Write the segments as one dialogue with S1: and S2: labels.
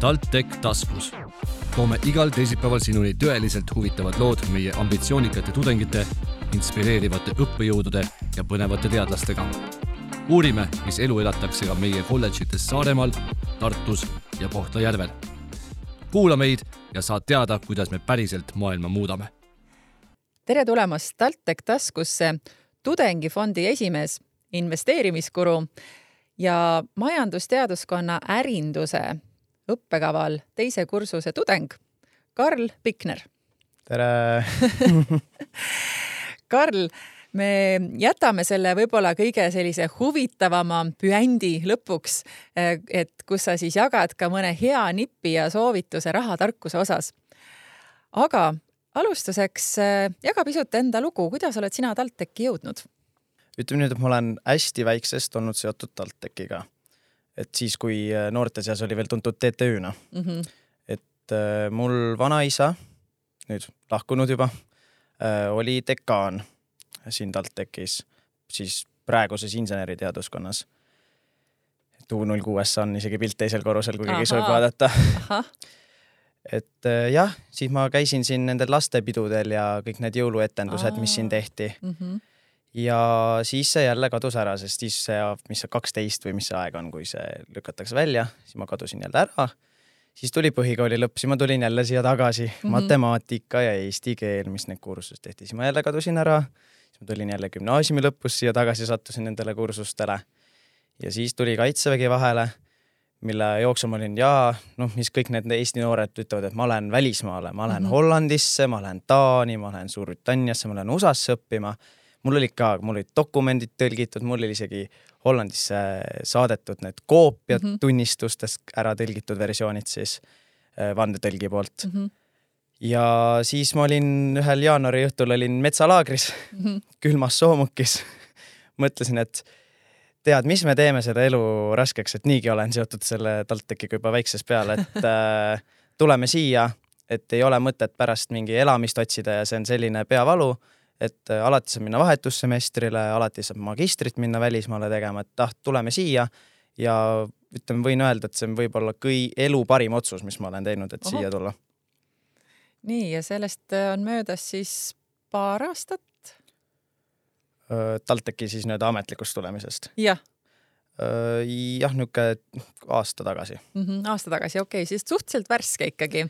S1: TalTech taskus. Toome igal teisipäeval sinuni tõeliselt huvitavad lood meie ambitsioonikate tudengite, inspireerivate õppejõudude ja põnevate teadlastega. Uurime, mis elu elatakse ka meie kolledžites Saaremaal, Tartus ja Kohtla-Järvel. Kuula meid ja saad teada, kuidas me päriselt maailma muudame.
S2: Tere tulemast TalTech taskusse tudengifondi esimees, investeerimiskuru ja majandusteaduskonna ärinduse õppekaval teise kursuse tudeng Karl Pikner.
S3: Tere!
S2: Karl, me jätame selle võib-olla kõige sellise huvitavama püändi lõpuks, et kus sa siis jagad ka mõne hea nippi ja soovituse rahatarkuse osas. Aga alustuseks jaga pisut enda lugu, kuidas oled sina TalTechi jõudnud?
S3: Ütleme nüüd, et ma olen hästi väiksest olnud seotud TalTechiga. Et siis, kui noorte seas oli veel tuntud TTÜ-na. Et mul vanaisa, nüüd lahkunud juba, oli dekaan siin TalTechis, siis praeguses inseneriteaduskonnas. U06 on isegi pilt teisel korrusel, kui keegi soovib vaadata. Et jah, siis ma käisin siin nendel lastepidudel ja kõik need jõuluetendused, mis siin tehti. Ja siis see jälle kadus ära, sest siis see, mis see 12 või mis see aeg on, kui see lükatakse välja, siis ma kadusin jälle ära. Siis tuli põhikooli lõpp, siis ma tulin jälle siia tagasi, matemaatika ja eesti keel, mis need kursus tehti. Siis ma jälle kadusin ära, siis ma tulin jälle gümnaasiumi lõpus siia tagasi, sattusin nendele kursustele. Ja siis tuli Kaitsevägi vahele, mille jooksul ma olin, mis kõik need Eesti noored ütlevad, et ma olen välismaale, ma olen Hollandisse, ma olen Taani, ma olen Suurbritanniasse, ma olen USAsse õppima. Mul olid dokumendid tõlgitud, mul oli isegi Hollandisse saadetud need koopiad tunnistustest ära tõlgitud versioonid siis vandetõlgi poolt. Ja siis ma olin ühel jaanuari õhtul olin metsalaagris, külmas soomukis. Mõtlesin, et tead, mis me teeme selle elu raskeks, et niigi olen seotud selle TalTechiga juba väikses peale, et tuleme siia, et ei ole mõtet pärast mingi elamist otsida ja see on selline peavalu, et alati saab minna vahetussemestrile, alati saab magistrit minna välismaale tegema, et tuleme siia ja ütleme, võin öelda, et see on võib-olla elu parim otsus, mis ma olen teinud, et siia tulla.
S2: Nii, ja sellest on möödas siis paar aastat?
S3: TalTechi siis nüüd ametlikust tulemisest?
S2: Jah.
S3: Jah, niuke aasta tagasi.
S2: Aasta tagasi, okei, siis suhteliselt värske ikkagi.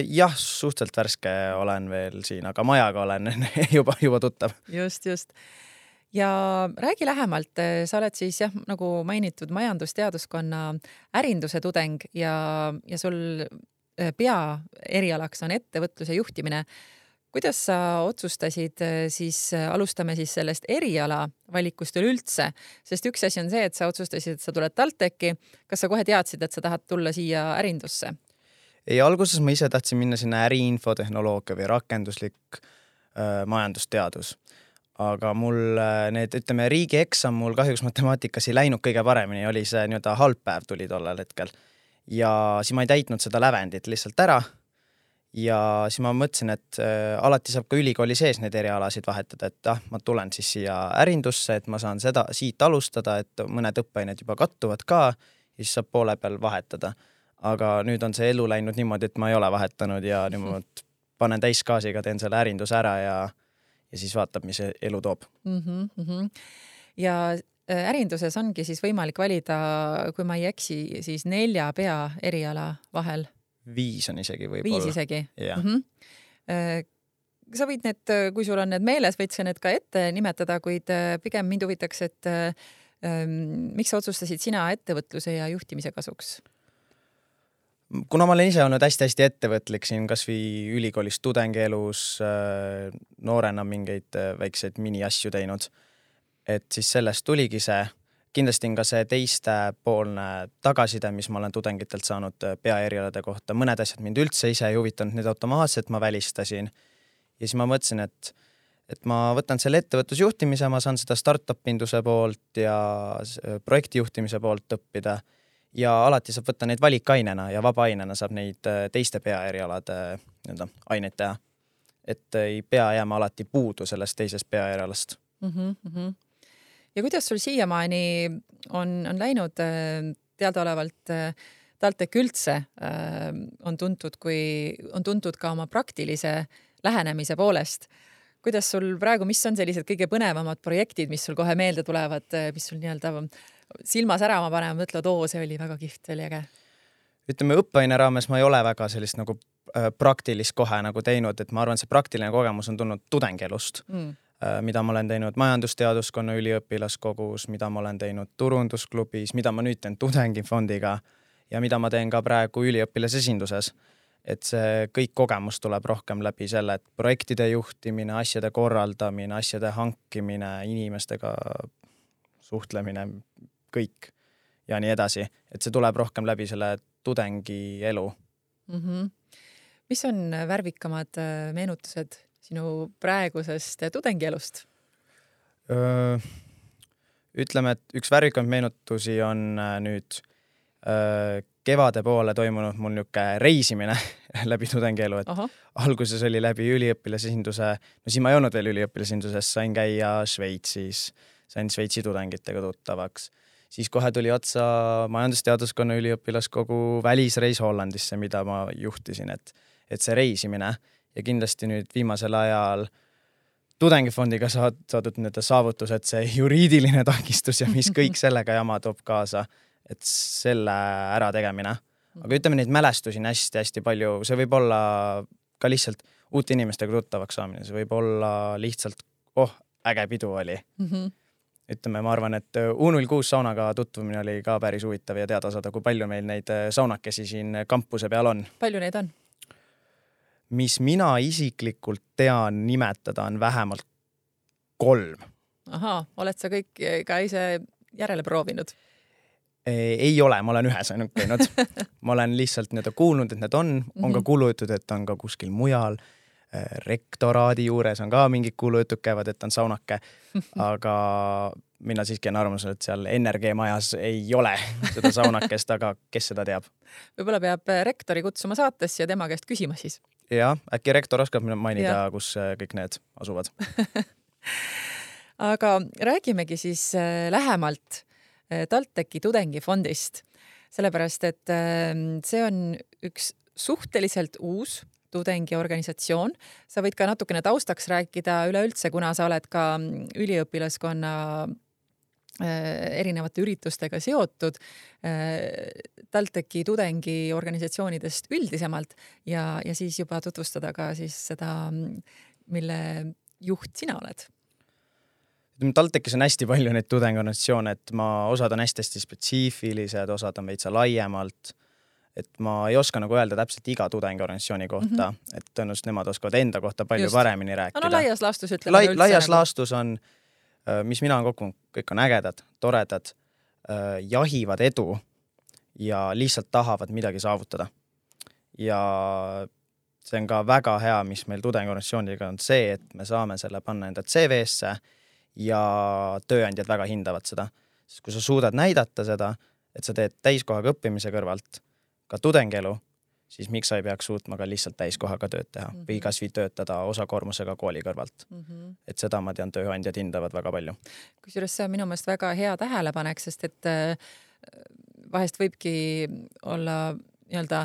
S3: Jah, suhteliselt värske olen veel siin, aga majaga olen juba tuttav.
S2: Just. Ja räägi lähemalt, sa oled siis nagu mainitud majandusteaduskonna ärinduse tudeng ja sul erialaks on ettevõtluse juhtimine. Kuidas sa otsustasid siis, alustame siis sellest eriala valikust üleüldse, sest üks asi on see, et sa otsustasid, et sa tuled TalTechi. Kas sa kohe teadsid, et sa tahad tulla siia ärindusse?
S3: Ei, alguses ma ise tahtsin minna sinna äriinfotehnoloogia või rakenduslik majandusteadus. Aga mul riigi eksam mul kahjuks matemaatikas ei läinud kõige paremini, oli see halb päev tuli tollel hetkel. Ja siis ma ei täitnud seda lävendit lihtsalt ära. Ja siis ma mõtlesin, et alati saab ka ülikooli sees need erialasid vahetada, et ma tulen siis siia ärindusse, et ma saan seda siit alustada, et mõned õppeained juba kattuvad ka ja siis saab poole peal vahetada. Aga nüüd on see elu läinud niimoodi, et ma ei ole vahetanud ja nüüd panen täiskaasiga, teen selle ärinduse ära ja siis vaatab, mis elu toob.
S2: Ja ärinduses ongi siis võimalik valida, kui ma ei eksi, siis 4 pea eriala vahel.
S3: 5 on isegi võib-olla.
S2: 5 isegi?
S3: Jah.
S2: Sa võid need, kui sul on need meeles, võid sa need ka ette nimetada, kuid pigem mind huvitaks, et miks sa otsustasid sina ettevõtluse ja juhtimise kasuks?
S3: Kuna ma olen ise olnud hästi ettevõtlik siin kas või ülikoolis tudengielus, noorena mingeid väikseid mini-asju teinud, et siis sellest tuligi see. Kindlasti on ka see teiste poolne tagaside, mis ma olen tudengitelt saanud peaerialade kohta. Mõned asjad mind üldse ise ei huvitanud, need automaatselt ma välistasin. Ja siis ma mõtlesin, et ma võtan selle ettevõtlusjuhtimise, ma saan seda startup-induse poolt ja projektijuhtimise poolt õppida. Ja alati saab võtta neid valikainena ja vabaainena saab neid teiste peaerialade aineid teha. Et ei pea jääma alati puudu sellest teisest peaerialast.
S2: Ja kuidas sul siiamaani on läinud teadaolevalt TalTech üldse on tuntud ka oma praktilise lähenemise poolest. Kuidas sul praegu, mis on sellised kõige põnevamad projektid, mis sul kohe meelde tulevad, mis sul nii-öelda silma särama panema, mõtled, see oli väga kihvt, see oli äge?
S3: Ütleme, õppeaine raames ma ei ole väga sellist nagu praktilist kohe nagu teinud, et ma arvan, see praktiline kogemus on tulnud tudengielust, mida ma olen teinud majandusteaduskonna üliõpilaskogus, mida ma olen teinud turundusklubis, mida ma nüüd teen tudengifondiga ja mida ma teen ka praegu üliõpilasesinduses. Et see kõik kogemus tuleb rohkem läbi selle, et projektide juhtimine, asjade korraldamine, asjade hankimine, inimestega suhtlemine, kõik ja nii edasi. Et see tuleb rohkem läbi selle tudengi elu.
S2: Mis on värvikamad meenutused sinu praegusest tudengielust?
S3: Ütleme, et üks värvikamaid meenutusi on nüüd kevade poole toimunud mul niuke reisimine läbi tudengielu, et alguses oli läbi üliõpilasesinduse, no siis ma ei olnud veel üliõpilasesinduses, sain käia Šveitsis, sain Šveitsi tudengitega tuttavaks. Siis kohe tuli otsa majandusteaduskonna üliõpilaskogu välisreis Hollandisse, mida ma juhtisin, et see reisimine ja kindlasti nüüd viimasel ajal tudengifondiga saadud need saavutused, see juriidiline takistus ja mis kõik sellega jama toob kaasa, et selle ära tegemine. Aga ütleme, neid mälestusi on hästi palju. See võib olla ka lihtsalt uute inimestega tuttavaks saamine. See võib olla lihtsalt, äge pidu oli. Ütleme, ma arvan, et U06 saunaga tutvumine oli ka päris huvitav ja teada saada, kui palju meil neid saunakesi siin kampuse peal on.
S2: Palju neid on?
S3: Mis mina isiklikult tean nimetada, on vähemalt 3.
S2: Oled sa kõik ka ise järele proovinud?
S3: Ei ole, ma olen ühes ainult käinud. Ma olen lihtsalt kuulnud, et need on ka kuulujutud, et on ka kuskil mujal. Rektoraadi juures on ka mingid kuulujutud käivad, et on saunake. Aga mina siiski on arvamusel, et seal NRG majas ei ole seda saunakest, aga kes seda teab?
S2: Võib-olla peab rektori kutsuma saatesse ja tema käest küsima siis.
S3: Jah, äkki rektor oskab mainida, kus kõik need asuvad.
S2: Aga räägimegi siis lähemalt TalTechi tudengifondist, sellepärast, et see on üks suhteliselt uus tudengiorganisatsioon. Sa võid ka natukene taustaks rääkida üleüldse, kuna sa oled ka üliõpilaskonna erinevate üritustega seotud TalTechi tudengiorganisatsioonidest üldisemalt ja siis juba tutvustada ka siis seda, mille juht sina oled.
S3: TalTechis on hästi palju neid tudengiorganisatsioone, et osad on hästi spetsiifilised, osad on veitsa laiemalt, et ma ei oska nagu öelda täpselt iga tudengiorganisatsiooni kohta, et tõenäoliselt nemad oskavad enda kohta palju paremini rääkida.
S2: Laias laastus ütleme üldse.
S3: Laias laastus on, mis mina on kokku, kõik on ägedad, toredad, jahivad edu ja lihtsalt tahavad midagi saavutada. Ja see on ka väga hea, mis meil tudengiorganisatsiooniga on see, et me saame selle panna enda CV-sse ja tööandjad väga hindavad seda. Sest kui sa suudad näidata seda, et sa teed täiskohaga õppimise kõrvalt ka tudengielu, siis miks sa ei peaks suutma ka lihtsalt täiskohaga tööd teha või kas või töötada osakoormusega kooli kõrvalt. Et seda ma tean, tööandjad hindavad väga palju.
S2: Kusjuures see on minu meelest väga hea tähelepanek, sest et vahest võibki olla nii-öelda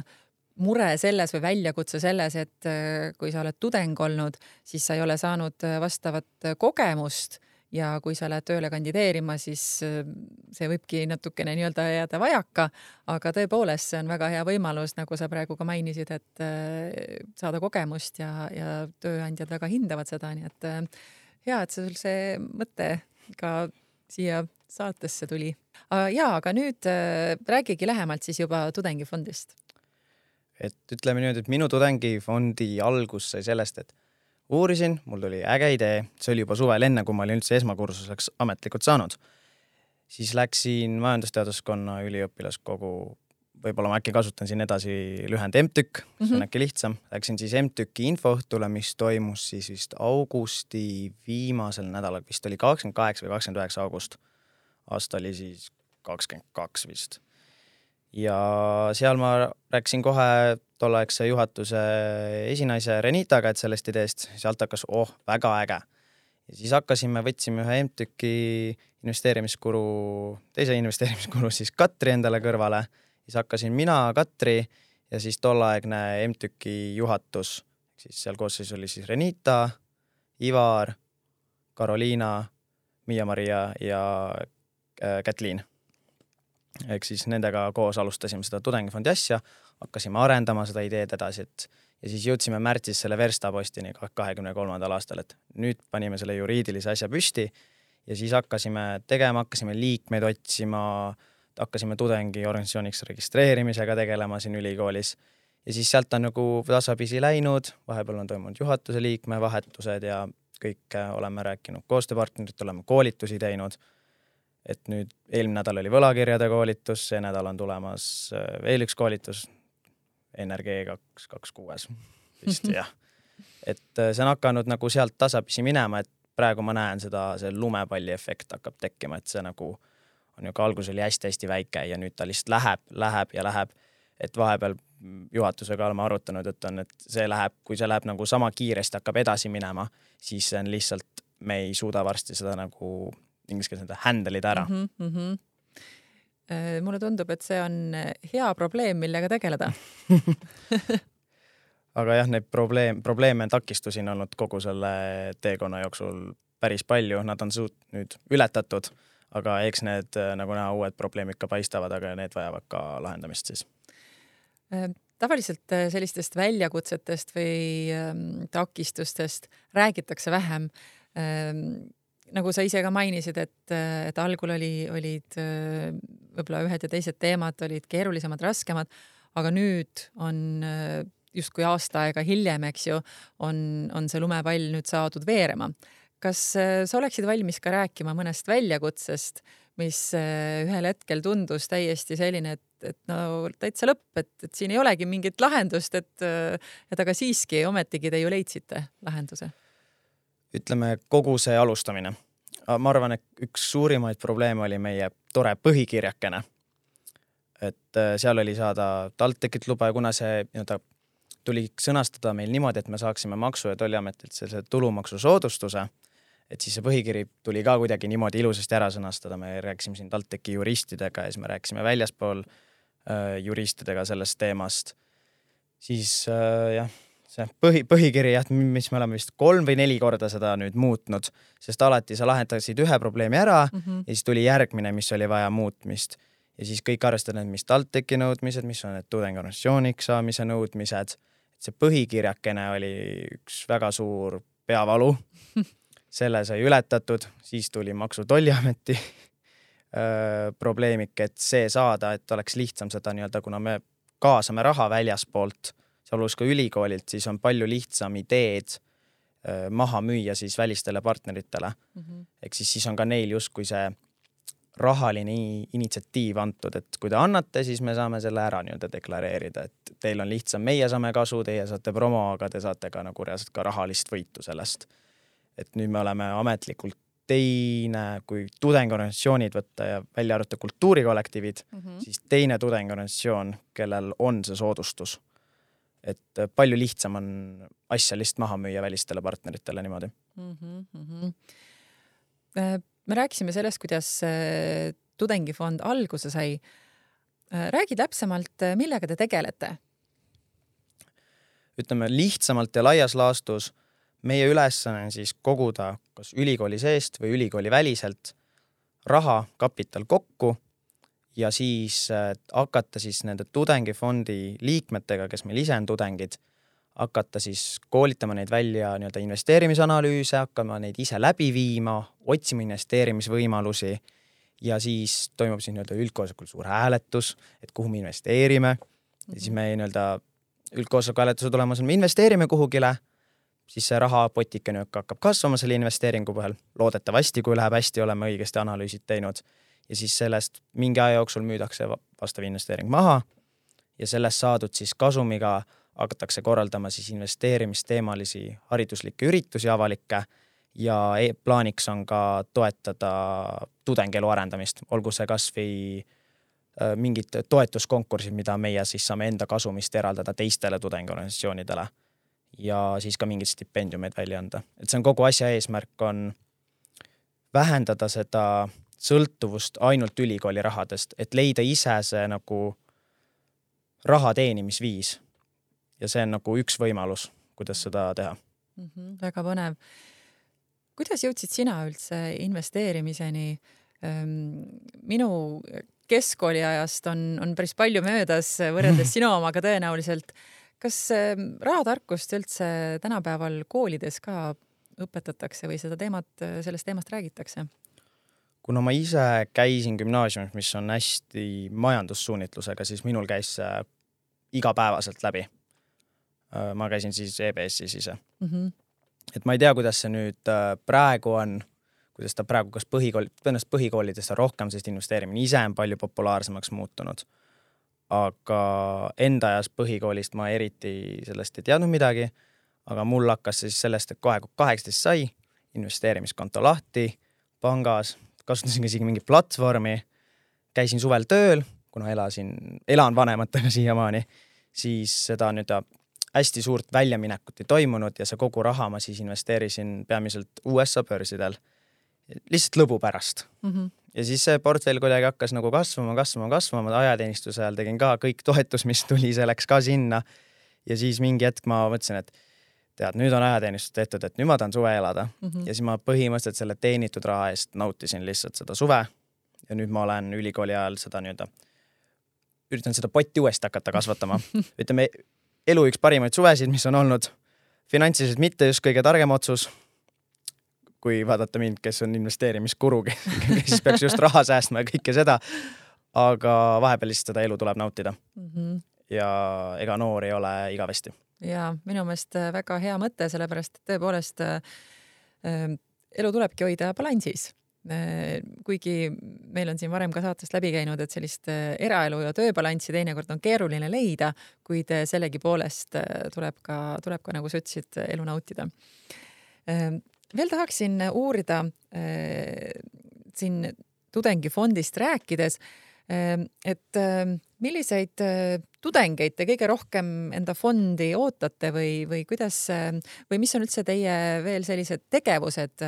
S2: mure selles või väljakutse selles, et kui sa oled tudeng olnud, siis sa ei ole saanud vastavat kogemust ja kui sa lähed tööle kandideerima, siis see võibki natukene nii-öelda jääda vajaka, aga tõepoolest see on väga hea võimalus, nagu sa praegu ka mainisid, et saada kogemust ja tööandjad väga hindavad seda, nii et hea, et sul see mõte ka siia saatesse tuli. Aga nüüd räägigi lähemalt siis juba tudengifondist.
S3: Et ütleme nüüd, et minu tudengifondi algus sai sellest, et uurisin, mul tuli äge idee, see oli juba suvel enne, kui ma olin üldse esmakursuseks ametlikult saanud. Siis läksin majandusteaduskonna üliõpilaskogu, võib-olla ma äkki kasutan siin edasi lühend MTÜK, see on äkki lihtsam. Läksin siis MTÜK-i infoõhtule, mis toimus siis vist augusti viimasel nädalal, vist oli 28 või 29 august. Aasta oli siis 22 vist. Ja seal ma rääkisin kohe tolleaegse juhatuse esinaise Renitaga, et sellest ideest, sealt hakkas, väga äge. Ja siis võtsime ühe MTÜK-i teise investeerimiskuru siis Katri endale kõrvale siis hakkasin mina, Katri ja siis tolleaegne MTÜK-i juhatus, siis seal koosseis oli siis Renita, Ivar, Karoliina, Miia-Maria ja Kätliin. Ehk siis nendega koos alustasime seda tudengifondi asja, hakkasime arendama seda ideed edasi, ja siis jõudsime märtsis selle verstapostini 23. aastal, et nüüd panime selle juriidilise asja püsti ja siis hakkasime tegema, hakkasime liikmeid otsima, hakkasime tudengiorganisatsiooniks registreerimisega tegelema siin ülikoolis ja siis sealt on nagu tasapisi läinud, vahepeal on toimunud juhatuse liikme vahetused ja kõik oleme rääkinud koostööpartnerit, oleme koolitusi teinud, et nüüd eelmine nädal oli võlakirjade koolitus, see nädal on tulemas veel üks koolitus, NRG 226 vist, jah. Et see on hakanud nagu sealt tasapisi minema, et praegu ma näen seda, see lumepalli efekt hakkab tekkima, et see nagu on ju ka algus oli hästi-hästi väike ja nüüd ta lihtsalt läheb, et vahepeal juhatusega oleme arutanud, et see läheb, kui see läheb nagu sama kiiresti hakkab edasi minema, siis see on lihtsalt, me ei suuda varsti seda nagu ingliskeelse handle'ida ära.
S2: Mulle tundub, et see on hea probleem, millega tegeleda.
S3: Aga jah, neid probleeme takistusi on olnud kogu selle teekonna jooksul päris palju, nad on nüüd ületatud, aga eks need nagu näha uued probleemid ka paistavad, aga need vajavad ka lahendamist siis.
S2: Tavaliselt sellistest väljakutsetest või takistustest räägitakse vähem. Nagu sa ise ka mainisid, et algul olid võib-olla ühed ja teised teemad olid keerulisemad, raskemad, aga nüüd on justkui aasta aega hiljem, eks ju, on see lumepall nüüd saadud veerema. Kas sa oleksid valmis ka rääkima mõnest väljakutsest, mis ühel hetkel tundus täiesti selline, et no täitsa lõpp, et siin ei olegi mingit lahendust, et aga siiski ometigi te ju leidsite lahenduse?
S3: Ütleme, kogu see alustamine. Ma arvan, et üks suurimaid probleeme oli meie tore põhikirjakene. Et seal oli saada TalTechilt luba ja kuna see tuli sõnastada meil niimoodi, et me saaksime Maksu- ja Tolliametilt selle tulumaksusoodustuse, et siis see põhikiri tuli ka kuidagi niimoodi ilusasti ära sõnastada. Me rääkisime siin TalTechi juristidega ja siis me rääkisime väljaspool juristidega sellest teemast. Siis jah, see põhikiri, mis me oleme vist 3 või 4 korda seda nüüd muutnud, sest alati sa lahendasid ühe probleemi ära ja siis tuli järgmine, mis oli vaja muutmist. Ja siis kõik arvestavad, mis TalTechi nõudmised, mis on need tudengiorganisatsiooniks saamise nõudmised. Et see põhikirjakene oli üks väga suur peavalu. Selle sai ületatud, siis tuli Maksu- ja Tolliameti probleemik, et see saada, et oleks lihtsam seda kuna me kaasame raha väljaspoolt, sealhulgas ka ülikoolilt, siis on palju lihtsam ideed maha müüa siis välistele partneritele. Ehk siis on ka neil justkui see rahaline initsiatiiv antud, et kui te annate, siis me saame selle ära deklareerida, et teil on lihtsam, meie saame kasu, teie saate promo, aga te saate ka nagu reaalselt ka rahalist võitu sellest. Et nüüd me oleme ametlikult teine, kui tudengiorganisatsioonid võtta ja välja arvata kultuurikollektiivid, siis teine tudengiorganisatsioon, kellel on see soodustus. Et palju lihtsam on asja lihtsalt maha müüa välistele partneritele niimoodi.
S2: Me rääkisime sellest, kuidas tudengifond alguse sai. Räägi täpsemalt, millega te tegelete?
S3: Ütleme lihtsamalt ja laias laastus meie ülesanne on siis koguda kas ülikooli seest või ülikooli väliselt raha, kapital kokku ja siis hakata siis nende tudengifondi liikmetega, kes meil ise on tudengid, hakata siis koolitama neid välja investeerimisanalüüse, hakkama neid ise läbi viima, otsima investeerimisvõimalusi ja siis toimub siis üldkoosolekul suur hääletus, et kuhu me investeerime. Ja siis me üldkoosoleku hääletuse tulemus on, me investeerime kuhugile, siis see rahapotike hakkab kasvama selle investeeringu põhjal. Loodetavasti, kui läheb hästi, oleme õigesti analüüsid teinud. Ja siis sellest mingi aja jooksul müüdakse vastav investeering maha ja sellest saadud siis kasumiga hakatakse korraldama siis investeerimisteemalisi hariduslikke üritusi avalikke ja plaaniks on ka toetada tudengielu arendamist, olgu see kas või mingid toetuskonkursid, mida meie siis saame enda kasumist eraldada teistele tudengiorganisatsioonidele ja siis ka mingid stipendiumid välja anda. Et see on kogu asja eesmärk on vähendada seda sõltuvust ainult ülikooli rahadest, et leida ise see nagu raha teenimisviis. Ja see on nagu üks võimalus, kuidas seda teha.
S2: Väga põnev. Kuidas jõudsid sina üldse investeerimiseni? Minu keskkooliajast on päris palju möödas võrreldes sinu omaga tõenäoliselt. Kas rahatarkust üldse tänapäeval koolides ka õpetatakse või sellest teemast räägitakse?
S3: Kuna ma ise käisin gümnaasiumis, mis on hästi majandussuunitlusega, siis minul käis igapäevaselt läbi. Ma käisin siis EBS-is ise. Et ma ei tea, kuidas see nüüd praegu on, kuidas ta praegu kas põhikoolides on rohkem, sest investeerimine ise on palju populaarsemaks muutunud. Aga enda ajas põhikoolist ma eriti sellest ei teadnud midagi, aga mul hakkas siis sellest, et kohe 18 sai, investeerimiskonto lahti, pangas, kasutasin isegi mingi platvormi, käisin suvel tööl, kuna elan vanematega siiamaani, siis seda nüüd hästi suurt väljaminekut ei toimunud ja see kogu raha ma siis investeerisin peamiselt USA börsidel lihtsalt lõbu pärast. Ja siis see portfell kuidagi hakkas nagu kasvama. Ajateenistuse ajal tegin ka kõik toetus, mis tuli, see läks ka sinna. Ja siis mingi hetk ma mõtlesin, et tead, nüüd on ajateenistus tehtud, et nüüd ma tahan suve elada. Ja siis ma põhimõtteliselt selle teenitud raha eest nautisin lihtsalt seda suve. Ja nüüd ma olen ülikooli ajal seda üritan seda potti uuesti hakata kasvatama. Ütleme, elu üks parimaid suvesid, mis on olnud finantsiliselt mitte just kõige targem otsus, kui vaadata mind, kes on investeerimiskuru, kes peaks just raha säästma ja kõike seda, aga vahepeal lihtsalt seda elu tuleb nautida. Ja ega noor ei ole igavesti.
S2: Ja minu meelest väga hea mõte, sellepärast tõepoolest elu tulebki hoida balansis. Kuigi meil on siin varem ka saatest läbi käinud, et sellist eraelu ja tööbalanssi teinekord on keeruline leida, kuid sellegi poolest tuleb ka nagu sa ütlesid, elu nautida. Veel tahaksin uurida siin tudengifondist rääkides, et milliseid tudengeid te kõige rohkem enda fondi ootate või kuidas, või mis on üldse teie veel sellised tegevused,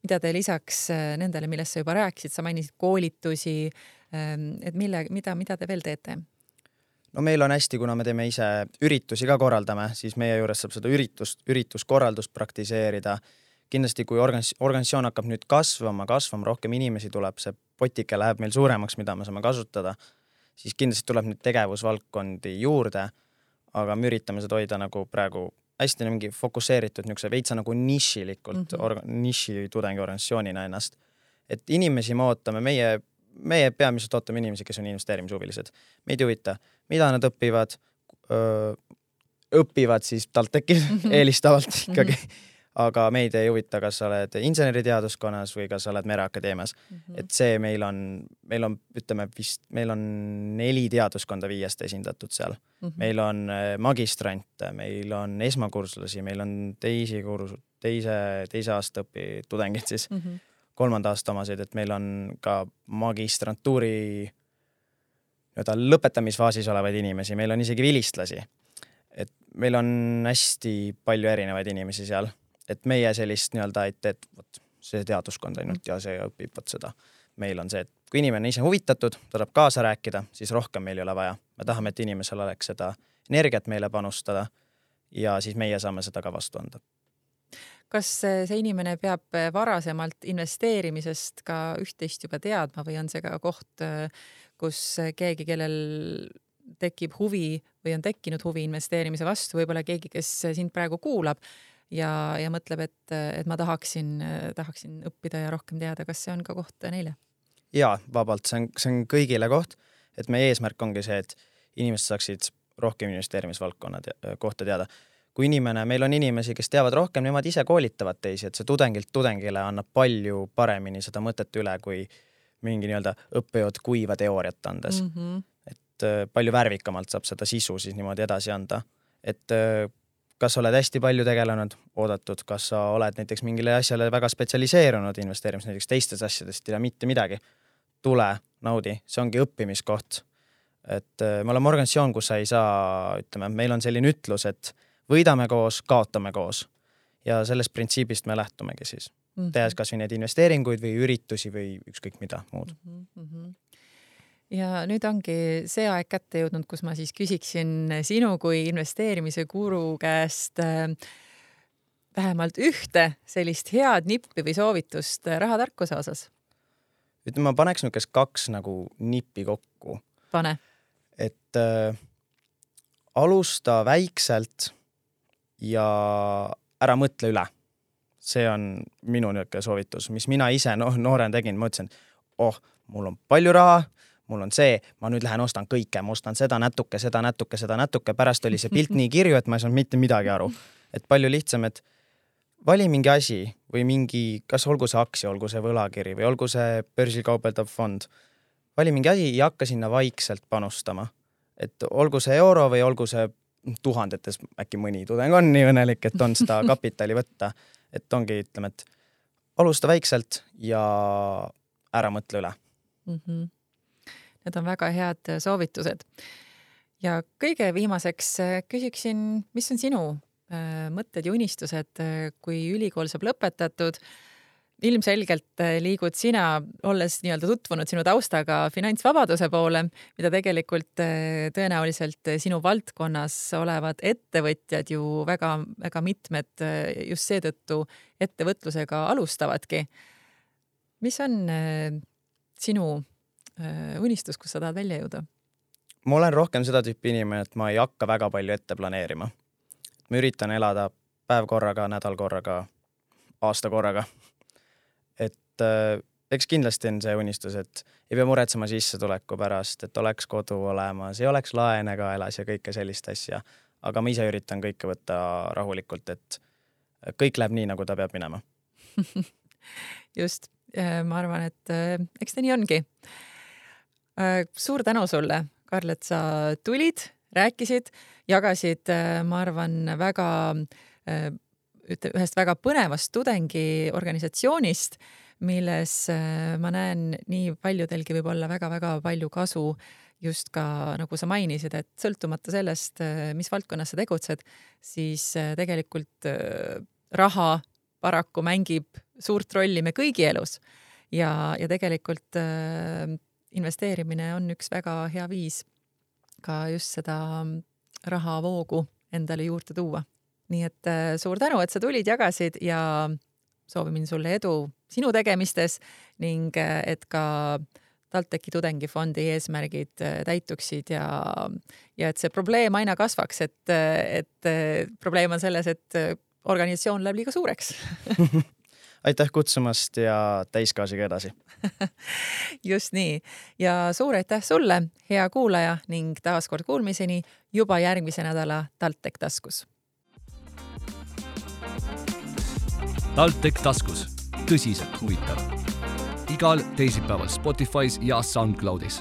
S2: mida te lisaks nendele, millest sa juba rääkisid, sa mainisid koolitusi, et mida te veel teete?
S3: No meil on hästi, kuna me teeme ise üritusi ka korraldame, siis meie juures saab seda ürituskorraldust praktiseerida. Kindlasti, kui organisatsioon hakkab nüüd kasvama, rohkem inimesi tuleb, see potike läheb meil suuremaks, mida me saame kasutada, siis kindlasti tuleb nüüd tegevusvaldkondi juurde, aga me üritame seda hoida nagu praegu hästi mingi fokusseeritud, veitsa nagu nišilikult, niši tudengiorganisatsioonina ennast. Et inimesi me ootame, meie peamiselt ootame inimesi, kes on investeerimishuvilised. Meid huvita, mida nad õpivad siis TalTechis elistavalt ikkagi. Aga meid ei huvita, kas sa oled inseneriteaduskonnas või kas sa oled Mereakadeemias. Et see meil on, ütleme vist, meil on 4 teaduskonda 5 esindatud seal. Meil on magistrante, meil on esmakurslasi, meil on teise aasta tudengid siis, 3. aasta omasid, et meil on ka magistrantuuri lõpetamisfaasis olevaid inimesi, meil on isegi vilistlasi. Et meil on hästi palju erinevaid inimesi seal. Et meie sellist et see teaduskond ainult ja see õpib seda. Meil on see, et kui inimene ise huvitatud, ta tahab kaasa rääkida, siis rohkem meil ei ole vaja. Me tahame, et inimesel oleks seda energiat meile panustada ja siis meie saame seda ka vastu anda.
S2: Kas see inimene peab varasemalt investeerimisest ka üht-teist juba teadma või on see ka koht, kus keegi, kellel tekib huvi või on tekkinud huvi investeerimise vastu, võib-olla keegi, kes sind praegu kuulab ja mõtleb, et ma tahaksin õppida ja rohkem teada, kas see on ka koht neile?
S3: Jaa, vabalt, see on kõigile koht, et meie eesmärk ongi see, et inimesed saaksid rohkem investeerimisvaldkonna kohta teada. Kui meil on inimesi, kes teavad rohkem, nemad ise koolitavad teisi, et see tudengilt tudengile annab palju paremini seda mõtet üle, kui mingi õppejõud kuiva teooriat andes. Et palju värvikamalt saab seda sisu siis niimoodi edasi anda. Et kas oled hästi palju tegelenud, oodatud, kas sa oled näiteks mingile asjale väga spetsialiseerunud investeerimis, näiteks teistes asjadest ei tea mitte midagi. Tule, naudi, see ongi õppimiskoht. Et me oleme organisatsioon, kus sa ei saa, ütleme, meil on selline ütlus, et võidame koos, kaotame koos. Ja sellest printsiibist me lähtumegi siis. Tehes kas või need investeeringuid või üritusi või ükskõik mida muud.
S2: Ja nüüd ongi see aeg kätte jõudnud, kus ma siis küsiksin sinu kui investeerimise guru käest vähemalt ühte sellist head nippi või soovitust rahatarkuse osas.
S3: Ütleme, ma paneks nukest 2 nagu nippi kokku.
S2: Pane.
S3: Et alusta väikselt ja ära mõtle üle. See on minu niuke soovitus, mis mina ise noorena tegin. Ma ütlesin, mul on palju raha, mul on see, ma nüüd lähen ostan kõike, ma ostan seda natuke, pärast oli see pilt nii kirju, et ma ei saanud mitte midagi aru. Et palju lihtsam, et vali mingi asi või mingi, kas olgu see aktsia, olgu see võlakiri või olgu see börsil kaubeldav fond. Vali mingi asi ja hakka sinna vaikselt panustama. Et olgu see euro või olgu see tuhandetes, äkki mõni tudeng on nii õnnelik, et on seda kapitali võtta. Et ongi, ütleme, et alusta väikselt ja ära mõtle üle.
S2: Need on väga head soovitused. Ja kõige viimaseks küsiksin, mis on sinu mõtted ja unistused, kui ülikool saab lõpetatud? Ilmselgelt liigud sina, olles nii-öelda tutvunud sinu taustaga finantsvabaduse poole, mida tegelikult tõenäoliselt sinu valdkonnas olevad ettevõtjad ju väga, väga mitmed just seetõttu ettevõtlusega alustavadki. Mis on sinu unistus, kus sa tahad välja jõuda?
S3: Ma olen rohkem seda tüüpi inimene, et ma ei hakka väga palju ette planeerima. Ma üritan elada päev korraga, nädal korraga, aasta korraga. Et eks kindlasti on see unistus, et ei pea muretsema sissetuleku pärast, et oleks kodu olemas, ei oleks laene kaelas ja kõike sellist asja. Aga ma ise üritan kõike võtta rahulikult, et kõik läheb nii, nagu ta peab minema.
S2: Just, ma arvan, et eks ta nii ongi. Suur tänu sulle, Karl, et sa tulid, rääkisid, jagasid, ma arvan, väga ühest väga põnevast tudengi organisatsioonist, milles ma näen nii paljudelgi võib olla väga-väga palju kasu just ka, nagu sa mainisid, et sõltumata sellest, mis valdkonnas sa tegutsed, siis tegelikult raha paraku mängib suurt rolli me kõigi elus ja tegelikult investeerimine on üks väga hea viis ka just seda rahavoogu endale juurde tuua. Nii et suur tänu, et sa tulid, jagasid ja soovimin sulle edu sinu tegemistes ning et ka TalTechi tudengifondi eesmärgid täituksid ja et see probleem aina kasvaks, et probleem on selles, et organisatsioon läheb liiga suureks.
S3: Aitäh kutsumast ja täiskaasiga edasi.
S2: Just nii. Ja suur aitäh sulle, hea kuulaja ning taaskord kuulmiseni juba järgmise nädala TalTech taskus.
S1: TalTech taskus. Tõsiselt huvitav. Igal teisipäeval Spotify's ja SoundCloudis.